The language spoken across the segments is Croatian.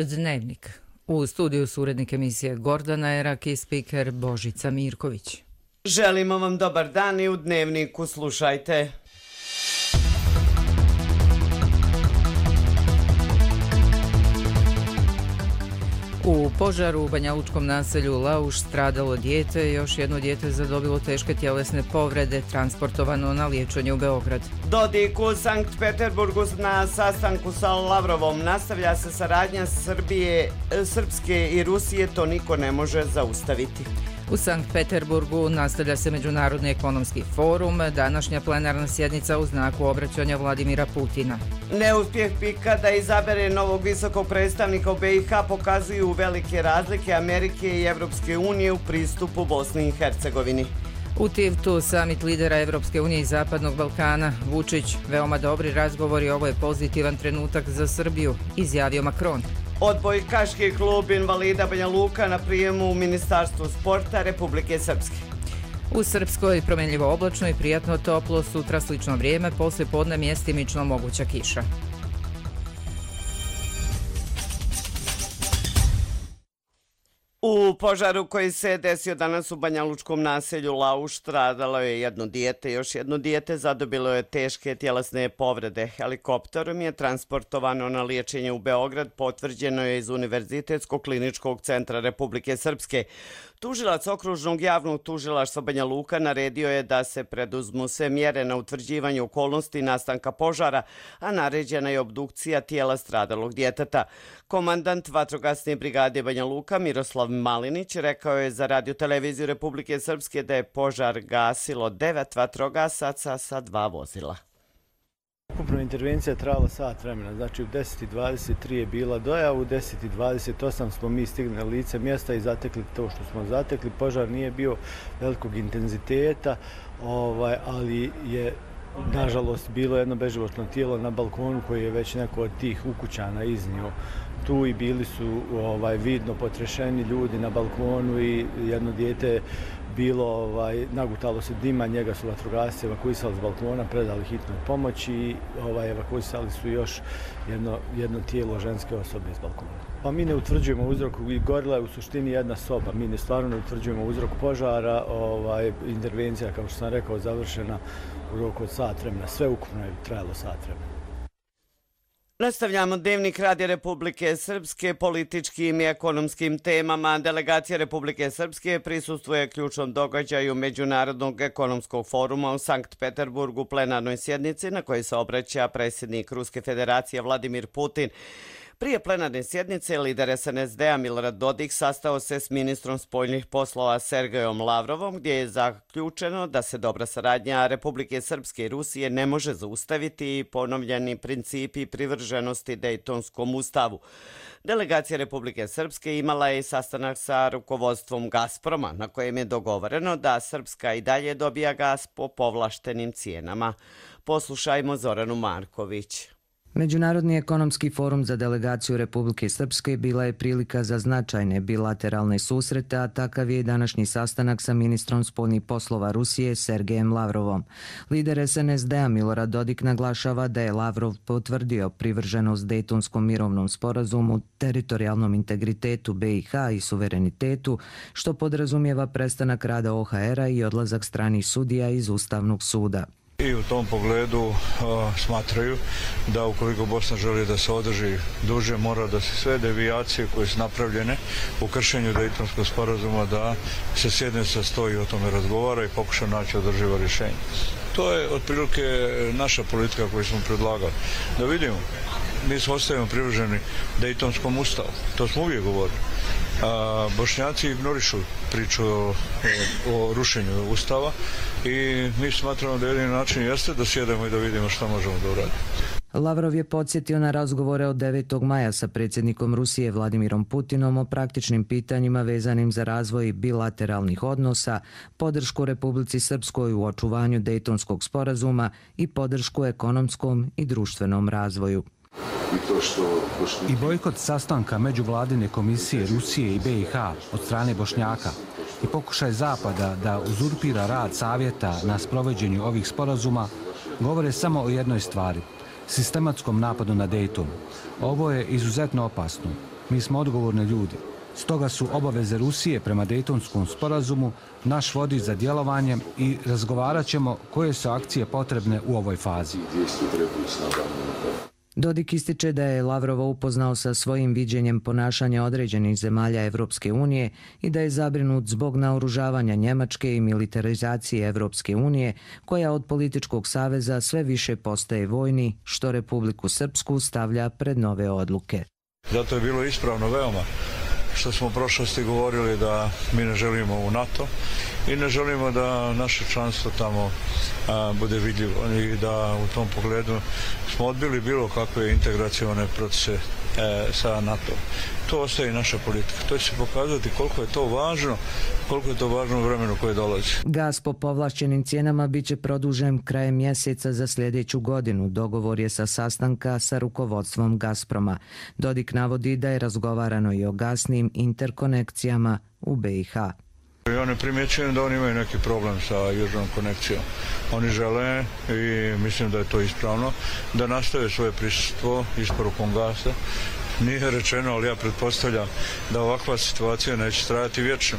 Dnevnik. U studiju su urednik emisije Gordana Erak i spiker Božica Mirković. Želimo vam dobar dan i u Dnevniku slušajte. U požaru u banjalučkom naselju Lauš stradalo dijete, još jedno dijete zadobilo teške tjelesne povrede, transportovano na liječenje u Beograd. Dodik u Sankt Peterburgu na sastanku sa Lavrovom. Nastavlja se saradnja Srpske i Rusije, to niko ne može zaustaviti. U Sankt Peterburgu nastavlja se Međunarodni ekonomski forum, današnja plenarna sjednica u znaku obraćanja Vladimira Putina. Neuspjeh PIK-a da izabere novog visokog predstavnika u BiH pokazuju velike razlike Amerike i Evropske unije u pristupu Bosni i Hercegovini. U Tivtu samit lidera Evropske unije i Zapadnog Balkana. Vučić, veoma dobri razgovori, ovo je pozitivan trenutak za Srbiju, izjavio Macron. Odbojkaški klub invalida Banja Luka na prijemu u Ministarstvu sporta Republike Srpske. U Srpskoj promjenljivo oblačno i prijatno toplo, sutra slično vrijeme, poslije podne mjestimično moguća kiša. U požaru koji se desio danas u banjalučkom naselju Lauš stradalo je jedno dijete, još jedno dijete zadobilo je teške tjelesne povrede. Helikopterom je transportovano na liječenje u Beograd, potvrđeno je iz Univerzitetskog kliničkog centra Republike Srpske. Tužilac okružnog javnog tužilaštva Banja Luka naredio je da se preduzmu sve mjere na utvrđivanje okolnosti nastanka požara, a naređena je obdukcija tijela stradalog djeteta. Komandant vatrogasne brigade Banja Luka Miroslav Malinić rekao je za Radio-televiziju Republike Srpske da je požar gasilo 9 vatrogasaca sa 2 vozila. Ukupno intervencija trajala sat vremena, znači u 10:23 je bila dojava, u 10:28 smo mi stigli na lice mjesta i zatekli to što smo zatekli. Požar nije bio velikog intenziteta, ali je nažalost bilo jedno beživotno tijelo na balkonu koji je već neko od tih ukućana iznio tu i bili su vidno potrešeni ljudi na balkonu i jedno dijete bilo, nagutalo se dima, njega su vatrogasci evakuisali s balkona, predali hitnu pomoć i evakuisali su još jedno tijelo ženske osobe iz balkona. Pa mi ne utvrđujemo uzrok, gorila je u suštini jedna soba, mi stvarno ne utvrđujemo uzrok požara, intervencija, kao što sam rekao, završena u roku od sat vremena, sve ukupno je trajalo sat vremena. Nastavljamo Dnevnik Radija Republike Srpske političkim i ekonomskim temama. Delegacija Republike Srpske prisustvuje ključnom događaju Međunarodnog ekonomskog foruma u Sankt Peterburgu, plenarnoj sjednici na kojoj se obraća predsjednik Ruske federacije Vladimir Putin. Prije plenarne sjednice lider SNSD-a Milorad Dodik sastao se s ministrom spoljnih poslova Sergejom Lavrovom, gdje je zaključeno da se dobra saradnja Republike Srpske i Rusije ne može zaustaviti i ponovljeni principi privrženosti Dejtonskom ustavu. Delegacija Republike Srpske imala je sastanak sa rukovodstvom Gazproma, na kojem je dogovoreno da Srpska i dalje dobija gas po povlaštenim cijenama. Poslušajmo Zoranu Marković. Međunarodni ekonomski forum za delegaciju Republike Srpske bila je prilika za značajne bilateralne susrete, a takav je i današnji sastanak sa ministrom spoljnih poslova Rusije Sergejem Lavrovom. Lider SNSD-a Milorad Dodik naglašava da je Lavrov potvrdio privrženost Dejtonskom mirovnom sporazumu, teritorijalnom integritetu BiH i suverenitetu, što podrazumijeva prestanak rada OHR-a i odlazak stranih sudija iz Ustavnog suda. I u tom pogledu smatraju da ukoliko Bosna želi da se održi duže, mora da se sve devijacije koje su napravljene u kršenju Dejtonskog sporazuma da se sjedne sa sto i o tome razgovara i pokuša naći održivo rješenje. To je otprilike naša politika koju smo predlagali. Da vidimo, mi smo ostajemo privrženi Dejtonskom ustavu, to smo uvijek govorili. Bošnjaci ignorišu priču o rušenju ustava i mi smatramo da jedini način jeste da sjedemo i da vidimo što možemo da uradimo. Lavrov je podsjetio na razgovore od 9. maja sa predsjednikom Rusije Vladimirom Putinom o praktičnim pitanjima vezanim za razvoj bilateralnih odnosa, podršku Republici Srpskoj u očuvanju Dejtonskog sporazuma i podršku ekonomskom i društvenom razvoju. I bojkot sastanka Međuvladine komisije Rusije i BiH od strane Bošnjaka i pokušaj Zapada da uzurpira rad Savjeta na sprovođenju ovih sporazuma govore samo o jednoj stvari – sistematskom napadu na Dejton. Ovo je izuzetno opasno. Mi smo odgovorni ljudi. Stoga su obaveze Rusije prema Dejtonskom sporazumu naš vodič za djelovanje i razgovarat ćemo koje su akcije potrebne u ovoj fazi. Dodik ističe da je Lavrova upoznao sa svojim viđenjem ponašanja određenih zemalja Evropske unije i da je zabrinut zbog naoružavanja Njemačke i militarizacije Evropske unije, koja od političkog saveza sve više postaje vojni, što Republiku Srpsku stavlja pred nove odluke. Zato je bilo ispravno veoma što smo u prošlosti govorili da mi ne želimo u NATO i ne želimo da naše članstvo tamo bude vidljivo i da u tom pogledu smo odbili bilo kakve integracione procese sa NATO. To ostaje i naša politika. To će se pokazati koliko je to važno u vremenu koje dolazi. Gas po povlašćenim cijenama bit će produžen krajem mjeseca za sljedeću godinu. Dogovor je sa sastanka sa rukovodstvom Gazproma. Dodik navodi da je razgovarano i o gasnim interkonekcijama u BiH. Ja ne primjećujem da oni imaju neki problem sa južnom konekcijom. Oni žele, i mislim da je to ispravno, da nastave svoje prisustvo isporukom gasa. Nije rečeno, ali ja pretpostavljam da ovakva situacija neće trajati vječno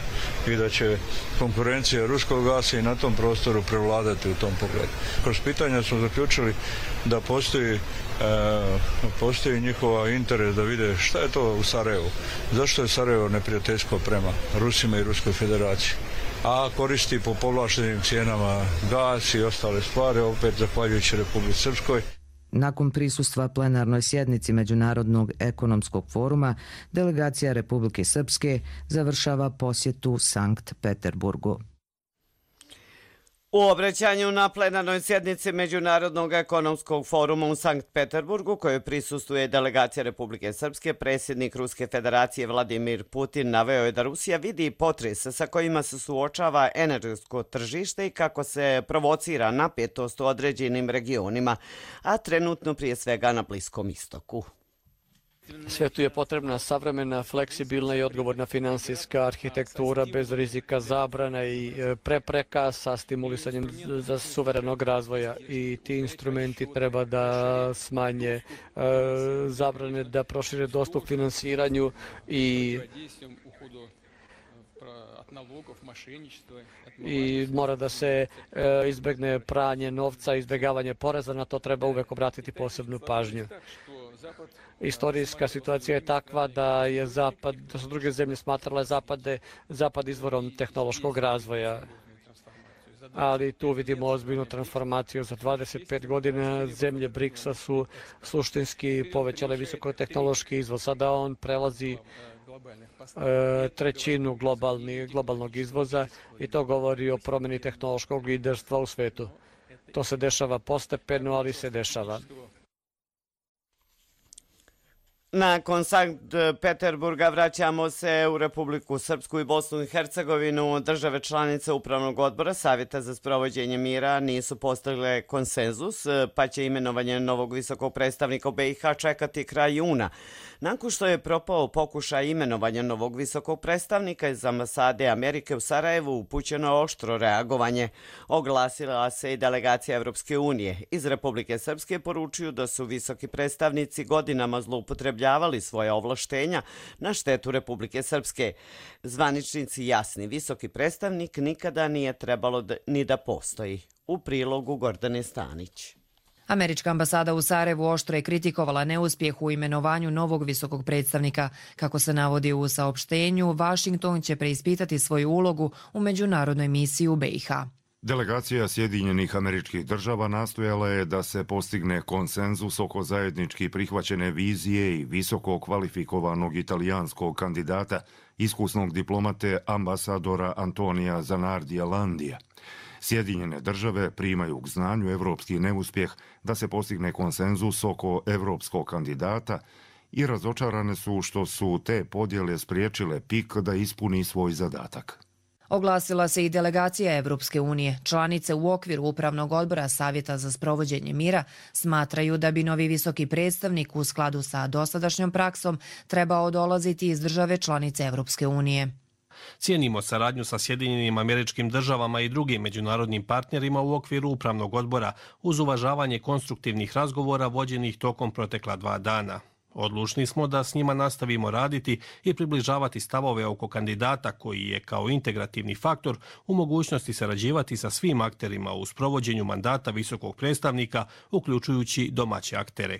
i da će konkurencija ruskog gasa i na tom prostoru prevladati u tom pogledu. Kroz pitanja smo zaključili da postoji njihova interes da vide šta je to u Sarajevu. Zašto je Sarajevo neprijateljsko prema Rusima i Ruskoj federaciji? A koristi po povlaštenim cijenama gas i ostale stvari, opet zahvaljujući Republici Srpskoj. Nakon prisustva plenarnoj sjednici Međunarodnog ekonomskog foruma, delegacija Republike Srpske završava posjetu Sankt Peterburgu. U obraćanju na plenarnoj sjednici Međunarodnog ekonomskog foruma u Sankt Peterburgu, kojoj prisustvuje delegacija Republike Srpske, predsjednik Ruske federacije Vladimir Putin naveo je da Rusija vidi potrese sa kojima se suočava energetsko tržište i kako se provocira napetost u određenim regionima, a trenutno prije svega na Bliskom istoku. Svijetu je potrebna savremena, fleksibilna i odgovorna finansijska arhitektura bez rizika zabrana i prepreka sa stimulisanjem za suverenog razvoja. I ti instrumenti treba da smanje zabrane, da prošire dostup finansiranju i mora da se izbjegne pranje novca, izbjegavanje poreza, na to treba uvek obratiti posebnu pažnju. Istorijska situacija je takva da su druge zemlje smatrale zapad izvorom tehnološkog razvoja. Ali tu vidimo ozbiljnu transformaciju. Za 25 godina zemlje BRICS-a su suštinski povećale visokotehnološki izvoz. Sada on prelazi trećinu globalnog izvoza i to govori o promjeni tehnološkog liderstva u svetu. To se dešava postepeno, ali se dešava. Nakon Sankt Peterburga vraćamo se u Republiku Srpsku i Bosnu i Hercegovinu. Države članice Upravnog odbora Savjeta za sprovođenje mira nisu postigle konsenzus, pa će imenovanje novog visokog predstavnika u BiH čekati kraj juna. Nakon što je propao pokušaj imenovanja novog visokog predstavnika iz ambasade Amerike u Sarajevu, upućeno je oštro reagovanje. Oglasila se i delegacija Evropske unije. Iz Republike Srpske poručuju da su visoki predstavnici godinama zloupotrebljavali svoje ovlaštenja na štetu Republike Srpske. Zvaničnici jasni, visoki predstavnik nikada nije trebalo ni da postoji. U prilogu Gordane Stanić. Američka ambasada u Sarajevu oštro je kritikovala neuspjeh u imenovanju novog visokog predstavnika. Kako se navodi u saopštenju, Vašington će preispitati svoju ulogu u međunarodnoj misiji u BiH. Delegacija Sjedinjenih Američkih Država nastojala je da se postigne konsenzus oko zajednički prihvaćene vizije i visoko kvalifikovanog italijanskog kandidata, iskusnog diplomate ambasadora Antonija Zanardija Landija. Sjedinjene države primaju k znanju evropski neuspjeh da se postigne konsenzus oko evropskog kandidata i razočarane su što su te podjele spriječile PIK da ispuni svoj zadatak. Oglasila se i delegacija Evropske unije. Članice u okviru Upravnog odbora Savjeta za sprovođenje mira smatraju da bi novi visoki predstavnik u skladu sa dosadašnjom praksom trebao dolaziti iz države članice Evropske unije. Cijenimo saradnju sa Sjedinjenim Američkim Državama i drugim međunarodnim partnerima u okviru Upravnog odbora uz uvažavanje konstruktivnih razgovora vođenih tokom protekla 2 dana. Odlučni smo da s njima nastavimo raditi i približavati stavove oko kandidata koji je kao integrativni faktor u mogućnosti sarađivati sa svim akterima u sprovođenju mandata visokog predstavnika, uključujući domaće aktere.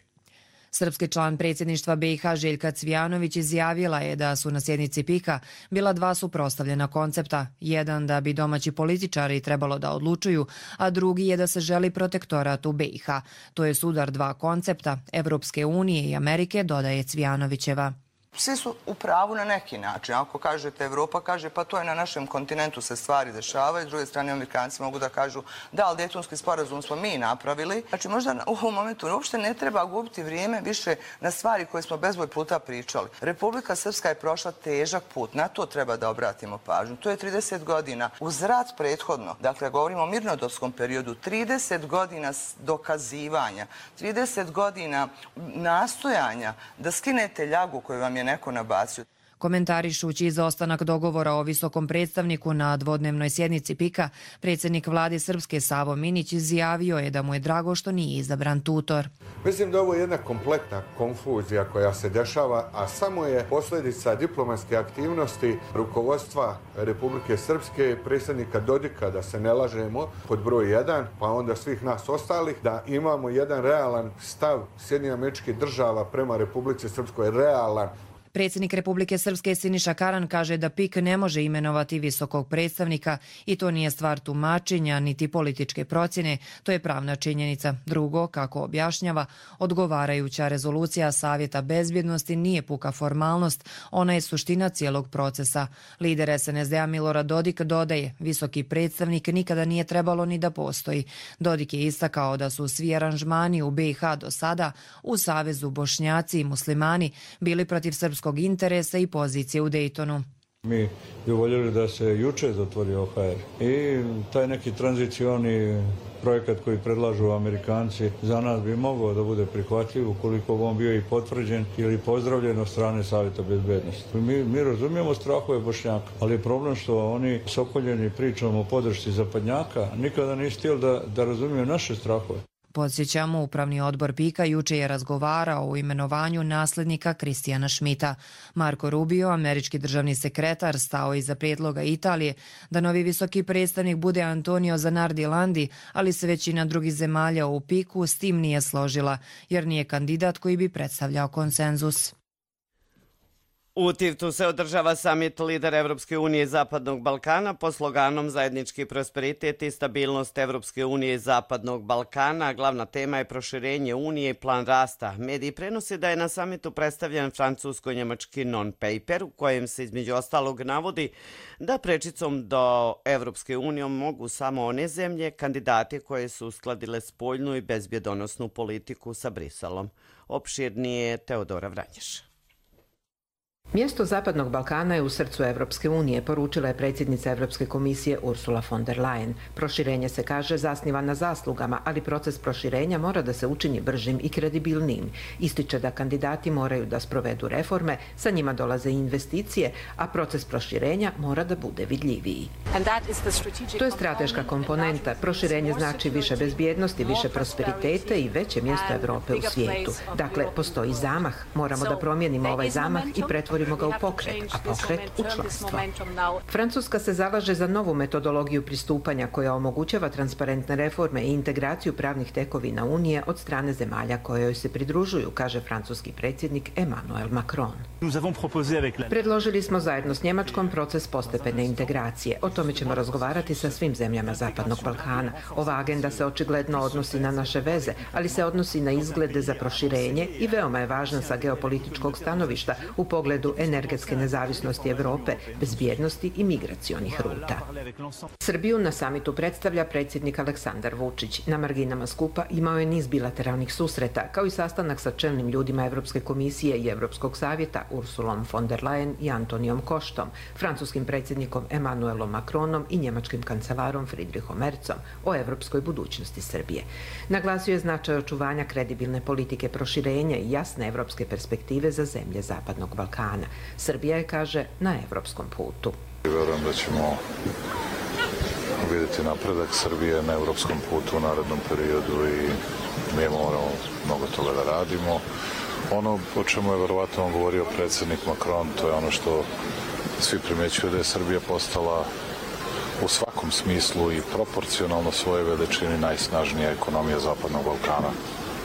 Srpski član predsjedništva BiH Željka Cvijanović izjavila je da su na sjednici PIK-a bila dva suprotstavljena koncepta. Jedan da bi domaći političari trebalo da odlučuju, a drugi je da se želi protektorat u BiH. To je sudar dva koncepta, Evropske unije i Amerike, dodaje Cvijanovićeva. Svi su u pravu na neki način. Ako kažete Evropa, kaže pa to je na našem kontinentu se stvari dešavaju. S druge strane, Amerikanci mogu da kažu da, ali Dejtonski sporazum smo mi napravili. Znači možda u ovom momentu uopšte ne treba gubiti vrijeme više na stvari koje smo bezbroj puta pričali. Republika Srpska je prošla težak put. Na to treba da obratimo pažnju. To je 30 godina. Uz rat prethodno, dakle govorimo o mirnodopskom periodu, 30 godina dokazivanja, 30 godina nastojanja da skinete ljagu koju vam je neko nabacio. Komentarišući izostanak dogovora o visokom predstavniku na dvodnevnoj sjednici PIK-a, predsjednik vlade Srpske Savo Minić izjavio je da mu je drago što nije izabran tutor. Mislim da ovo je jedna kompletna konfuzija koja se dešava, a samo je posljedica diplomatske aktivnosti rukovodstva Republike Srpske, predsjednika Dodika, da se ne lažemo, pod broj 1, pa onda svih nas ostalih, da imamo jedan realan stav Sjedinjenih Američkih Država prema Republici Srpskoj, realan. Predsjednik Republike Srpske Siniša Karan kaže da PIK ne može imenovati visokog predstavnika i to nije stvar tumačenja niti političke procjene, to je pravna činjenica. Drugo, kako objašnjava, odgovarajuća rezolucija Savjeta bezbjednosti nije puka formalnost, ona je suština cijelog procesa. Lider SNSD-a Milorad Dodik dodaje, visoki predstavnik nikada nije trebalo ni da postoji. Dodik je istakao da su svi aranžmani u BiH do sada u Savezu Bošnjaci i Muslimani bili protiv srpskog interesa i pozicije u Dejtonu. Mi bi voljeli da se juče zatvori OHR i taj neki tranzicioni projekat koji predlažu Amerikanci za nas bi mogao da bude prihvatljiv ukoliko on bio i potvrđen ili pozdravljen od strane Savjeta bezbednosti. Mi razumijemo strahove Bošnjaka, ali je problem što oni sokoljeni pričom o podršci zapadnjaka nikada nisu htjeli da razumiju naše strahove. Podsjećamo, upravni odbor PIK-a juče je razgovarao o imenovanju nasljednika Kristijana Schmidta. Marco Rubio, američki državni sekretar, stao iza prijedloga Italije da novi visoki predstavnik bude Antonio Zanardi Landi, ali se većina drugih zemalja u PIK-u s tim nije složila, jer nije kandidat koji bi predstavljao konsenzus. U Tivtu se održava samit lidera Evropske unije i Zapadnog Balkana pod sloganom Zajednički prosperitet i stabilnost Evropske unije i Zapadnog Balkana. Glavna tema je proširenje unije i plan rasta. Mediji prenose da je na samitu predstavljen francusko-njemački non-paper u kojem se između ostalog navodi da prečicom do Evropske unije mogu samo one zemlje, kandidati koje su uskladile spoljnu i bezbjedonosnu politiku sa Briselom. Opširnije Teodora Vranješ. Mjesto Zapadnog Balkana je u srcu Evropske unije, poručila je predsjednica Evropske komisije Ursula von der Leyen. Proširenje se, kaže, zasniva na zaslugama, ali proces proširenja mora da se učini bržim i kredibilnijim. Ističe da kandidati moraju da sprovedu reforme, sa njima dolaze i investicije, a proces proširenja mora da bude vidljiviji. To je strateška komponenta. Proširenje znači više bezbjednosti, više prosperitete i veće mjesto Evrope u svijetu. Dakle, postoji zamah. Moramo da promijenimo ovaj zamah i pretvorimo ga u pokret, a pokret u članstvo. Francuska se zalaže za novu metodologiju pristupanja koja omogućava transparentne reforme i integraciju pravnih tekovina Unije od strane zemalja koje joj se pridružuju, kaže francuski predsjednik Emmanuel Macron. Predložili smo zajedno s Njemačkom proces postepene integracije. O tome ćemo razgovarati sa svim zemljama Zapadnog Balkana. Ova agenda se očigledno odnosi na naše veze, ali se odnosi na izglede za proširenje i veoma je važna sa geopolitičkog stanovišta u pogledu energetske nezavisnosti Evrope, bezbjednosti i migracionih ruta. Srbiju na samitu predstavlja predsjednik Aleksandar Vučić. Na marginama skupa imao je niz bilateralnih susreta, kao i sastanak sa čelnim ljudima Evropske komisije i Evropskog savjeta Ursulom von der Leyen i Antonijom Koštom, francuskim predsjednikom Emmanuelom Macronom i njemačkim kancelarom Friedrichom Merzom o evropskoj budućnosti Srbije. Naglasio je značaj očuvanja kredibilne politike proširenja i jasne evropske perspektive za zemlje Zapadnog Balkana. Srbija je, kaže, na evropskom putu. Vjerujem da ćemo vidjeti napredak Srbije na evropskom putu u narednom periodu i mi moramo mnogo toga da radimo. Ono o čemu je verovatno govorio predsjednik Macron, to je ono što svi primjećuju, da je Srbija postala u svakom smislu i proporcionalno svoje veličini najsnažnija ekonomija Zapadnog Balkana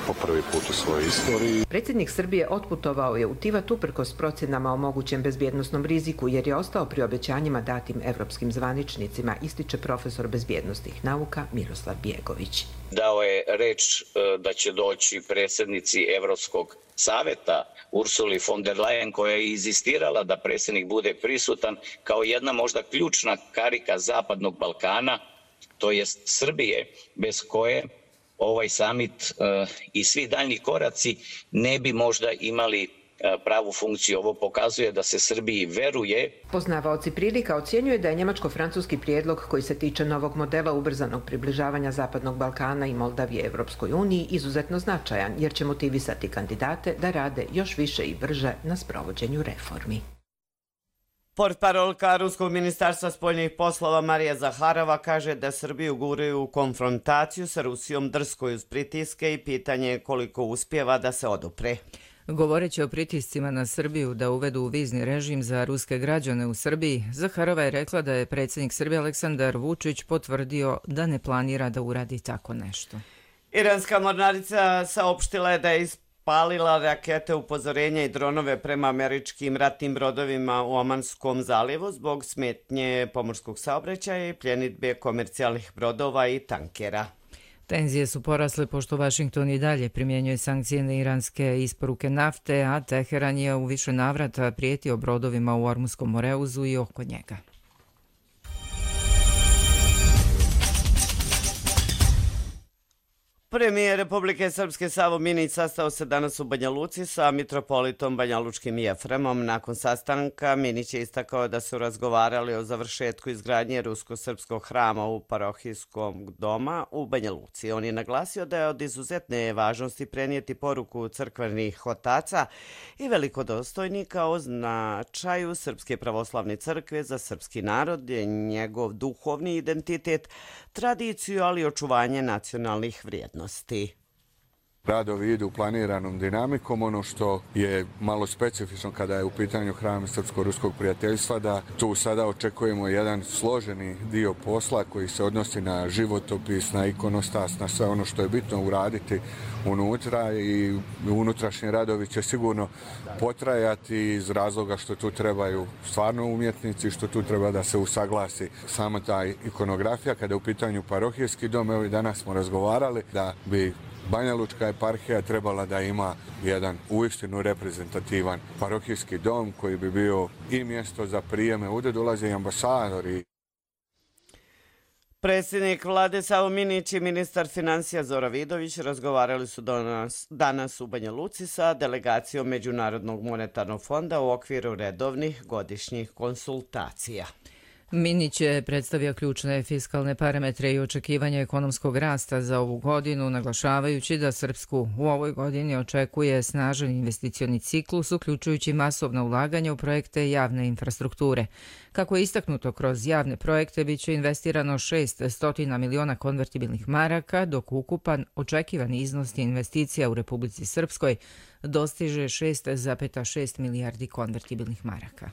po prvi put u svojoj istoriji. Predsjednik Srbije otputovao je u Tivat uprkos procjenama o mogućem bezbjednosnom riziku jer je ostao pri obećanjima datim evropskim zvaničnicima, ističe profesor bezbjednosnih nauka Miroslav Bjegović. Dao je reč da će doći predsjednici Evropskog saveta Ursuli von der Leyen, koja je inzistirala da predsjednik bude prisutan kao jedna možda ključna karika Zapadnog Balkana, to jest Srbije, bez koje ovaj samit i svi daljni koraci ne bi možda imali pravu funkciju. Ovo pokazuje da se Srbiji veruje. Poznavaoci prilika ocjenjuje da je njemačko-francuski prijedlog koji se tiče novog modela ubrzanog približavanja Zapadnog Balkana i Moldavije Evropskoj uniji izuzetno značajan, jer će motivisati kandidate da rade još više i brže na sprovođenju reformi. Portparolka Ruskog ministarstva spoljnih poslova Marija Zaharova kaže da Srbiju guraju u konfrontaciju sa Rusijom drsko uz pritiske i pitanje je koliko uspijeva da se odupre. Govoreći o pritiscima na Srbiju da uvedu vizni režim za ruske građane u Srbiji, Zaharova je rekla da je predsjednik Srbije Aleksandar Vučić potvrdio da ne planira da uradi tako nešto. Iranska mornarica saopštila je da je ispalila rakete upozorenja i dronove prema američkim ratnim brodovima u Omanskom zalivu zbog smetnje pomorskog saobraćaja i pljenidbe komercijalnih brodova i tankera. Tenzije su porasle pošto Vašington i dalje primjenjuje sankcije na iranske isporuke nafte, a Teheran je u više navrata prijetio brodovima u Ormunskom Moreuzu i oko njega. Premijer Republike Srpske Savo Minić sastao se danas u Banja Luci sa mitropolitom banjalučkim Jefremom. Nakon sastanka Minić je istakao da su razgovarali o završetku izgradnje rusko-srpskog hrama u parohijskom doma u Banja Luci. On je naglasio da je od izuzetne važnosti prenijeti poruku crkvenih otaca i velikodostojnika o značaju Srpske pravoslavne crkve za srpski narod, njegov duhovni identitet, tradiciju, ali i očuvanje nacionalnih vrijednosti. Radovi idu planiranom dinamikom. Ono što je malo specifično kada je u pitanju hram srpsko-ruskog prijateljstva, da tu sada očekujemo jedan složeni dio posla koji se odnosi na životopis, na ikonostas, na sve ono što je bitno uraditi unutra i unutrašnji radovi će sigurno potrajati iz razloga što tu trebaju stvarno umjetnici, što tu treba da se usaglasi sama ta ikonografija. Kada je u pitanju parohijski dom, evo i danas smo razgovarali da bi Banja Lučka eparhija trebala da ima jedan uistinu reprezentativan parohijski dom koji bi bio i mjesto za prijeme, ovdje dolaze i ambasadori. Predsjednik vlade Savo Minić i ministar financija Zora Vidović razgovarali su danas u Banja Luci sa delegacijom Međunarodnog monetarnog fonda u okviru redovnih godišnjih konsultacija. Minić je predstavio ključne fiskalne parametre i očekivanja ekonomskog rasta za ovu godinu, naglašavajući da Srpsku u ovoj godini očekuje snažan investicioni ciklus, uključujući masovna ulaganja u projekte javne infrastrukture. Kako je istaknuto, kroz javne projekte biće investirano 600 miliona konvertibilnih maraka, dok ukupan očekivani iznos investicija u Republici Srpskoj dostiže 6,6 milijardi konvertibilnih maraka.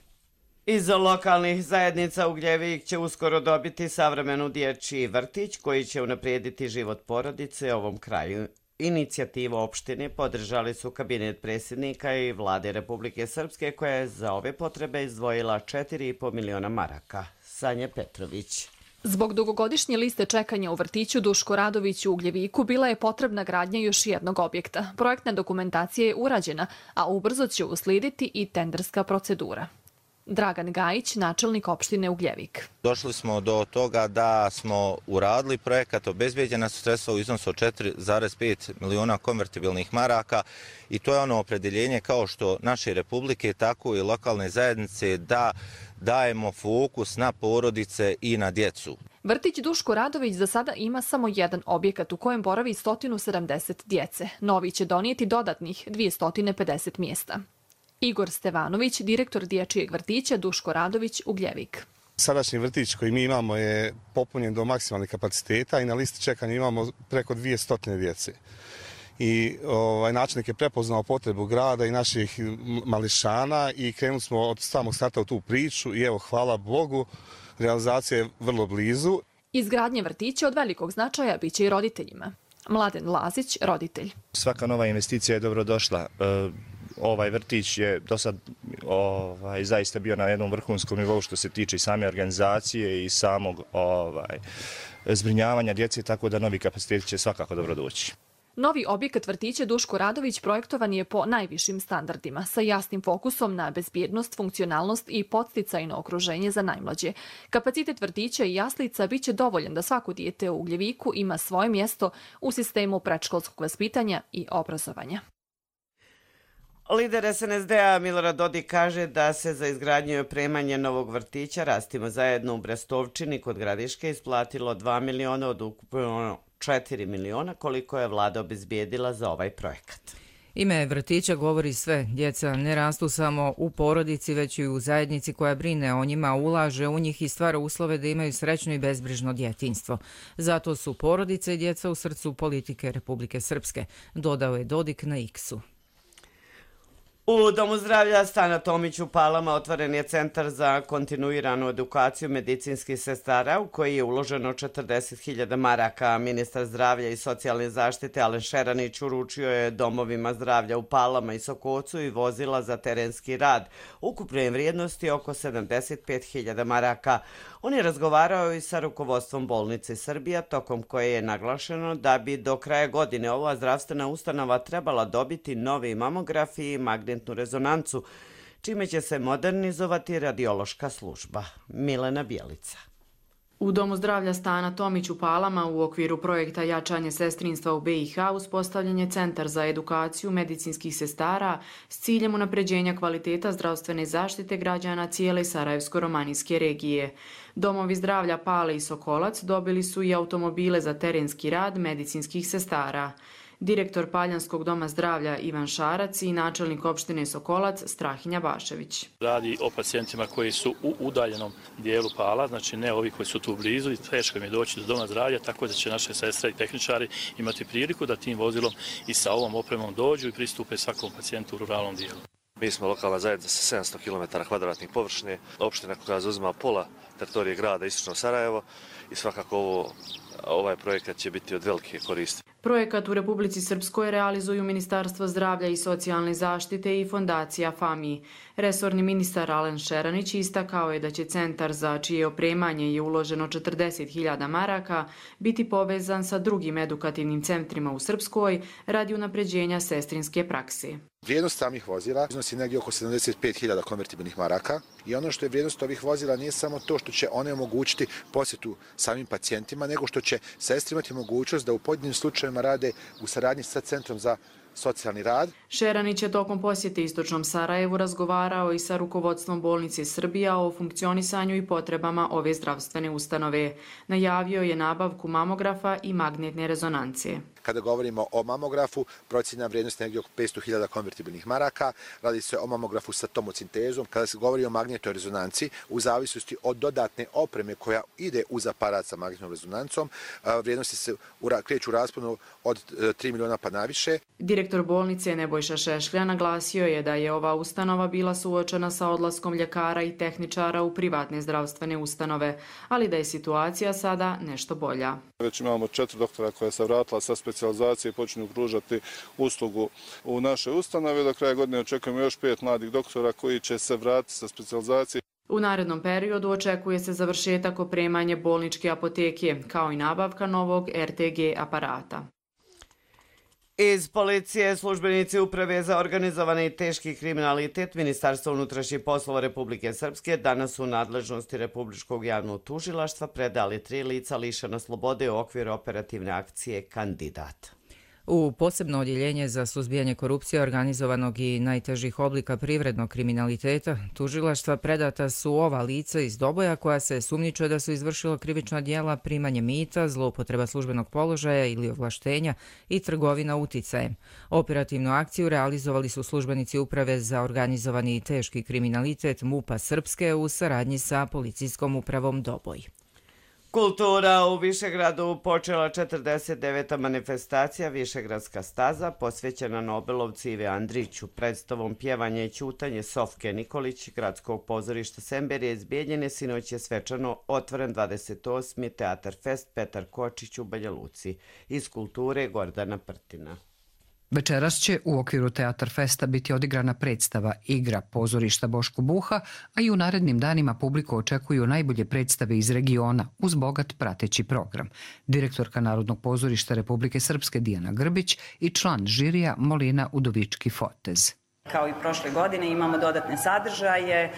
Iz lokalnih zajednica Ugljevik će uskoro dobiti savremenu dječji vrtić koji će unaprijediti život porodice u ovom kraju. Inicijativu opštine podržali su kabinet predsjednika i vlade Republike Srpske koja je za ove potrebe izdvojila 4,5 miliona maraka. Sanja Petrović. Zbog dugogodišnje liste čekanja u vrtiću Duško Radović u Ugljeviku bila je potrebna gradnja još jednog objekta. Projektna dokumentacija je urađena, a ubrzo će uslijediti i tenderska procedura. Dragan Gajić, načelnik opštine Ugljevik. Došli smo do toga da smo uradili projekat, obezbeđena su sredstva u iznosu od 4,5 miliona konvertibilnih maraka i to je ono opredjeljenje kao što naše republike, tako i lokalne zajednice da dajemo fokus na porodice i na djecu. Vrtić Duško Radović za sada ima samo jedan objekat u kojem boravi 170 djece. Novi će donijeti dodatnih 250 mjesta. Igor Stevanović, direktor dječjeg vrtića Duško Radović Ugljevik. Sadašnji vrtić koji mi imamo je popunjen do maksimalnih kapaciteta i na listi čekanja imamo preko 200 djece. i načelnik je prepoznao potrebu grada i naših mališana i krenuli smo od samog starta u tu priču i evo, hvala Bogu, realizacija je vrlo blizu. Izgradnje vrtića od velikog značaja biće i roditeljima. Mladen Lazić, roditelj. Svaka nova investicija je dobro došla. Ovaj vrtić je do sad zaista bio na jednom vrhunskom nivou što se tiče i same organizacije i samog zbrinjavanja djece, tako da novi kapaciteti će svakako dobro doći. Novi objekat vrtića Duško Radović projektovan je po najvišim standardima, sa jasnim fokusom na bezbjednost, funkcionalnost i podsticajno okruženje za najmlađe. Kapacitet vrtića i jaslica biće dovoljan da svako dijete u Ugljeviku ima svoje mjesto u sistemu predškolskog vaspitanja i obrazovanja. Lider SNSD-a Milorad Dodik kaže da se za izgradnju i opremanje novog vrtića Rastimo zajedno u Brestovčini kod Gradiške isplatilo 2 miliona od ukupno 4 miliona koliko je vlada obezbijedila za ovaj projekat. Ime vrtića govori sve. Djeca ne rastu samo u porodici, već i u zajednici koja brine o njima, ulaže u njih i stvara uslove da imaju srećno i bezbrižno djetinjstvo. Zato su porodice i djeca u srcu politike Republike Srpske, dodao je Dodik na X-u. U Domu zdravlja Stana Tomić u Palama otvoren je centar za kontinuiranu edukaciju medicinskih sestara u koji je uloženo 40.000 maraka. Ministar zdravlja i socijalne zaštite Alen Šeranić uručio je domovima zdravlja u Palama i Sokocu i vozila za terenski rad. Ukupne vrijednosti oko 75.000 maraka. On je razgovarao i sa rukovodstvom bolnice Srbija, tokom koje je naglašeno da bi do kraja godine ova zdravstvena ustanova trebala dobiti novi mamograf i magnetnu rezonancu, čime će se modernizovati radiološka služba. Milena Bjelica. U Domu zdravlja Stana Tomić u Palama u okviru projekta Jačanje sestrinstva u BiH uspostavljen je centar za edukaciju medicinskih sestara s ciljem unapređenja kvaliteta zdravstvene zaštite građana cijele Sarajevsko-romanijske regije. Domovi zdravlja Pale i Sokolac dobili su i automobile za terenski rad medicinskih sestara. Direktor Paljanskog doma zdravlja Ivan Šarac i načelnik opštine Sokolac Strahinja Bašević. Radi o pacijentima koji su u udaljenom dijelu Pala, znači ne ovi koji su tu blizu i teško im je doći do doma zdravlja, tako da će naše sestre i tehničari imati priliku da tim vozilom i sa ovom opremom dođu i pristupe svakom pacijentu u ruralnom dijelu. Mi smo lokalna zajednica sa 700 km kvadratnih površine, opština koja zauzima pola teritorije grada Istočno Sarajevo i svakako ovaj projekat će biti od velike koristi. Projekat u Republici Srpskoj realizuju Ministarstvo zdravlja i socijalne zaštite i fondacija FAMI. Resorni ministar Alen Šeranić istakao je da će centar za čije opremanje je uloženo 40.000 maraka biti povezan sa drugim edukativnim centrima u Srpskoj radi unapređenja sestrinske prakse. Vrijednost samih vozila iznosi negdje oko 75.000 konvertibilnih maraka i ono što je vrijednost ovih vozila nije samo to što će one omogućiti posjetu samim pacijentima, nego što će sestri imati mogućnost da u pojedinim slučajevima rade u saradnji sa Centrom za socijalni rad. Šeranić je tokom posjete Istočnom Sarajevu razgovarao i sa rukovodstvom bolnice Srbija o funkcionisanju i potrebama ove zdravstvene ustanove. Najavio je nabavku mamografa i magnetne rezonance. Kada govorimo o mamografu, procjena vrijednosti negdje oko 500.000 konvertibilnih maraka. Radi se o mamografu sa tomocintezom. Kada se govori o magnetnoj rezonanci, u zavisnosti od dodatne opreme koja ide uz aparat sa magnetnom rezonancom, vrijednosti se kreću u rasponu od 3 miliona pa naviše. Direktor bolnice Nebojša Šešlja naglasio je da je ova ustanova bila suočena sa odlaskom ljekara i tehničara u privatne zdravstvene ustanove, ali da je situacija sada nešto bolja. Već imamo 4 doktora koja se vratila sa specijalizacije i počinju pružati uslugu u našoj ustanovi. Do kraja godine očekujemo još 5 mladih doktora koji će se vratiti sa specijalizacije. U narednom periodu očekuje se završetak opremanje bolničke apoteke, kao i nabavka novog RTG aparata. Iz policije službenici Uprave za organizovani i teški kriminalitet Ministarstva unutrašnjih poslova Republike Srpske danas u nadležnosti Republičkog javnog tužilaštva predali 3 lica lišena slobode u okviru operativne akcije Kandidat. U posebno odjeljenje za suzbijanje korupcije organizovanog i najtežih oblika privrednog kriminaliteta tužilaštva predata su ova lica iz Doboja koja se sumnjičuje da su izvršila krivična djela primanje mita, zloupotreba službenog položaja ili ovlaštenja i trgovina uticajem. Operativnu akciju realizovali su službenici Uprave za organizovani i teški kriminalitet MUP-a Srpske u saradnji sa policijskom upravom Doboj. Kultura u Višegradu počela 49. manifestacija Višegradska staza posvećena Nobelovci Ive Andriću. Predstavom Pjevanje i ćutanje Sofke Nikolić Gradskog pozorišta Semberije iz Bijeljine sinoć je svečano otvoren 28. Teatar Fest Petar Kočić u Banja Luci. Iz kulture Gordana Prtina. Večeras će u okviru Teatar Festa biti odigrana predstava Igra pozorišta Boško Buha, a i u narednim danima publiku očekuju najbolje predstave iz regiona uz bogat prateći program. Direktorka Narodnog pozorišta Republike Srpske Dijana Grbić i član žirija Molina Udovički-Fotez. Kao i prošle godine imamo dodatne sadržaje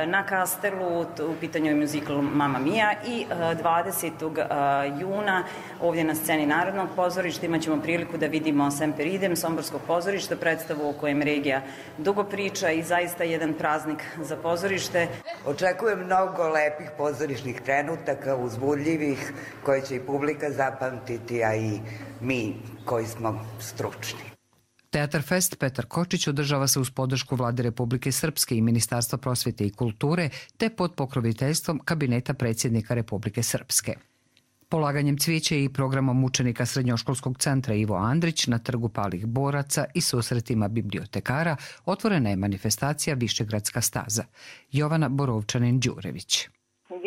na Kastelu, u pitanju je muzikl Mamma Mia i 20. juna ovdje na sceni Narodnog pozorišta imat ćemo priliku da vidimo Semper Idem Somborskog pozorišta, predstavu o kojem regija dugo priča i zaista jedan praznik za pozorište. Očekujem mnogo lepih pozorišnih trenutaka, uzbudljivih, koje će i publika zapamtiti, a i mi koji smo stručni. Teatar Fest Petar Kočić održava se uz podršku Vlade Republike Srpske i Ministarstva prosvjete i kulture te pod pokroviteljstvom Kabineta predsjednika Republike Srpske. Polaganjem cvijeća i programom učenika Srednjoškolskog centra Ivo Andrić na trgu palih boraca i susretima bibliotekara otvorena je manifestacija Višegradska staza. Jovana Borovčanin-Đurević.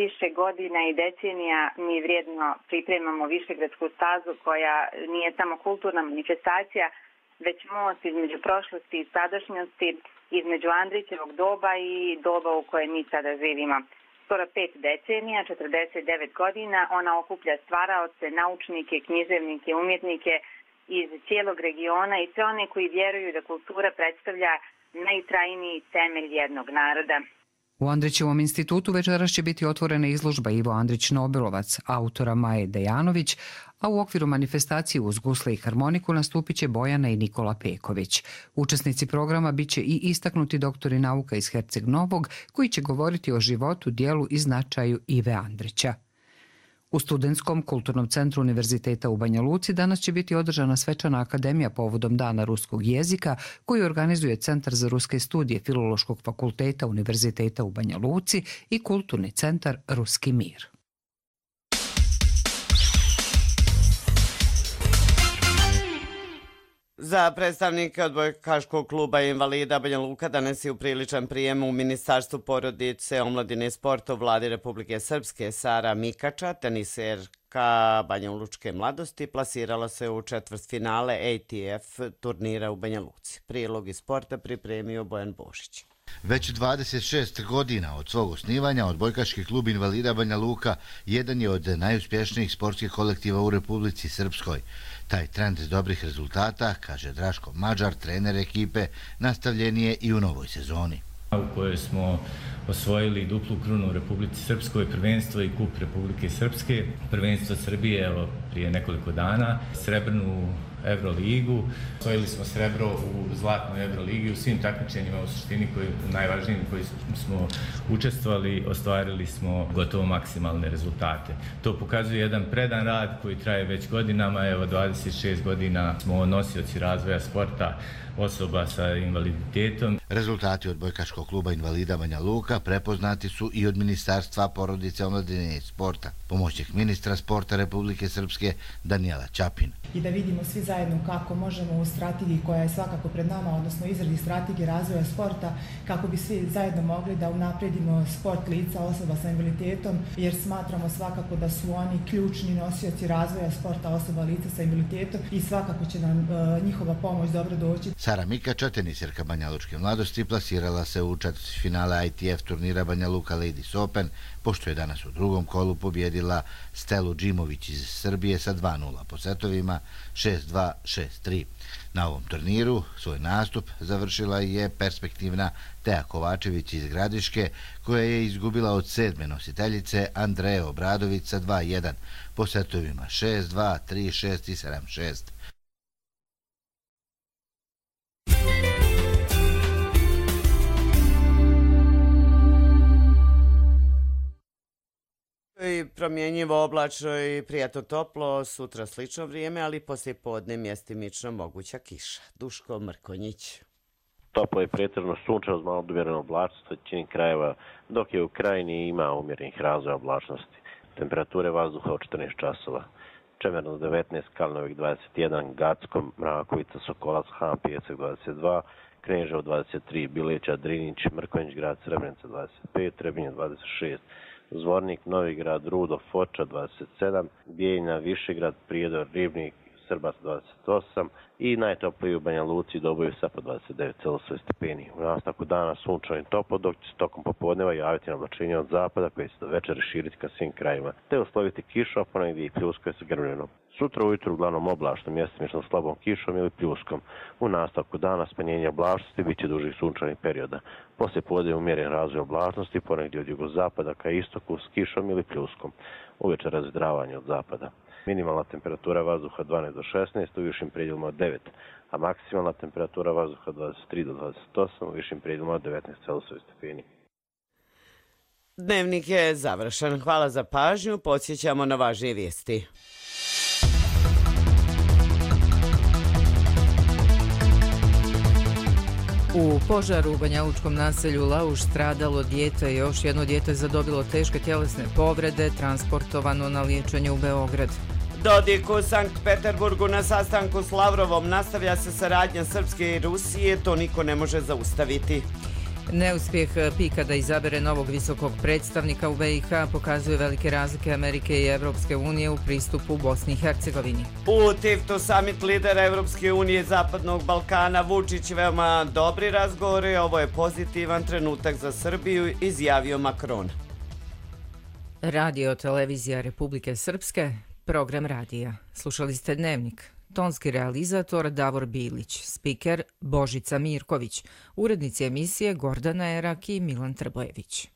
Više godina i decenija mi vrijedno pripremamo Višegradsku stazu koja nije samo kulturna manifestacija, već most između prošlosti i sadašnjosti, između Andrićevog doba i doba u kojem mi sada živimo. Skoro 5 decenija, 49 godina, ona okuplja stvaraoce, naučnike, književnike, umjetnike iz cijelog regiona i sve one koji vjeruju da kultura predstavlja najtrajniji temelj jednog naroda. U Andrićevom institutu večeras će biti otvorena izložba Ivo Andrić Nobelovac, autora Maje Dejanović, a u okviru manifestacije uz gusle i harmoniku nastupit će Bojana i Nikola Peković. Učesnici programa bit će i istaknuti doktori nauka iz Herceg Novog, koji će govoriti o životu, dijelu i značaju Ive Andrića. U Studentskom kulturnom centru Univerziteta u Banja Luci danas će biti održana svečana akademija povodom Dana ruskog jezika koju organizuje Centar za ruske studije Filološkog fakulteta Univerziteta u Banja Luci i Kulturni centar Ruski mir. Za predstavnike odbojkaškog kluba invalida Banja Luka danas je upriličan prijem u Ministarstvu porodice, omladine i sporta u Vladi Republike Srpske. Sara Mikača, teniserka Banja Lučke mladosti, plasirala se u četvrtfinale ATF turnira u Banja Luci. Prilog iz sporta pripremio Bojan Božić. Već 26 godina od svog osnivanja odbojkaški klub invalida Banja Luka jedan je od najuspješnijih sportskih kolektiva u Republici Srpskoj. Taj trend dobrih rezultata, kaže Draško Mađar, trener ekipe, nastavljen je i u novoj sezoni. U kojoj smo osvojili duplu krunu u Republici Srpskoj, prvenstvo i kup Republike Srpske, prvenstvo Srbije evo, prije nekoliko dana, srebrnu Euroligu. Osvojili smo srebro u zlatnoj Euroligi, u svim takmičenjima u suštini najvažnijim koji smo učestvovali, ostvarili smo gotovo maksimalne rezultate. To pokazuje jedan predan rad koji traje već godinama, evo 26 godina smo nosioci razvoja sporta osoba sa invaliditetom. Rezultati odbojkaškog kluba invalida Banja Luka prepoznati su i od Ministarstva porodice, omladine i sporta. Pomoćnik ministra sporta Republike Srpske Danijela Ćapin. I da vidimo svi zajedno kako možemo u strategiji koja je svakako pred nama, odnosno izradi strategije razvoja sporta, kako bi svi zajedno mogli da unapredimo sport lica osoba sa invaliditetom, jer smatramo svakako da su oni ključni nosioci razvoja sporta osoba lica sa invaliditetom i svakako će nam njihova pomoć dobro doći. Sara Mikača, teniserka Banja Lučke mladosti, plasirala se u četvrtfinale ITF turnira Banja Luka Ladies Open, pošto je danas u drugom kolu pobjedila Stelu Džimović iz Srbije sa 2-0 po setovima 6-2, 6-3. Na ovom turniru svoj nastup završila je perspektivna Teja Kovačević iz Gradiške, koja je izgubila od 7. nositeljice Andreje Obradović sa 2-1 po setovima 6-2, 3-6 i 7-6. Promjenjivo, oblačno i prijatno toplo, sutra slično vrijeme, ali poslije podne mjestimično moguća kiša. Duško Mrkonjić. Toplo je pretežno sunčano, malo umjereno oblačnosti većini krajeva, dok je u krajini ima umjerenih razvoja oblačnosti. temperature vazduha od 14 časova. Čemerno 19, Kalnovik 21, Gacko, Mrakovica, Sokolac, Han, Pjecek 22, Kneževo 23, Bileća, Drinić, Mrkonjić grad, Srebrenica 25, Trebinje 26, Zvornik, Novigrad, Rudo, Foča 27, Bijeljina, Višegrad, Prijedor, Ribnik, Srbac 28 i najtopliji u Banja Luci i Dobojevca po 29,7 stepeni. U nastavku dana sunčano i toplo, dok će se tokom popodneva javiti oblačenje od zapada koje će do večeri širiti ka svim krajima, te usloviti kišu, a ponegdje i pljuskoj sa grmljenom. Sutra ujutru uglavnom oblačno, mjestimično slabom kišom ili pljuskom. U nastavku dana smanjenje oblačnosti bit će dužih sunčanih perioda. Poslije podne umjeren razvoj oblačnosti, ponegdje od jugozapada ka istoku s kišom ili pljuskom. Uveče razvidravanje od zapada. Minimalna temperatura vazduha 12 do 16, u višim predjelima od 9, a maksimalna temperatura vazduha 23 do 28, u višim predjelima od 19,7 stepeni. Dnevnik je završen. Hvala za pažnju. Podsjećamo na važnije vijesti. U požaru u banjalučkom naselju Lauš stradalo dijete, još jedno dijete zadobilo teške tjelesne povrede, transportovano na liječenje u Beograd. Dodik u Sankt Peterburgu na sastanku s Lavrovom, nastavlja se saradnja Srpske i Rusije, to niko ne može zaustaviti. Neuspjeh Pika da izabere novog visokog predstavnika u BiH pokazuje velike razlike Amerike i Evropske unije u pristupu Bosni i Hercegovini. U Tiftu summit lidera Evropske unije i Zapadnog Balkana, Vučić veoma dobri razgovori, ovo je pozitivan trenutak za Srbiju, izjavio Macron. Radio televizija Republike Srpske, program radija. Slušali ste Dnevnik. Tonski realizator Davor Bilić, spiker Božica Mirković, urednici emisije Gordana Erak i Milan Trbojević.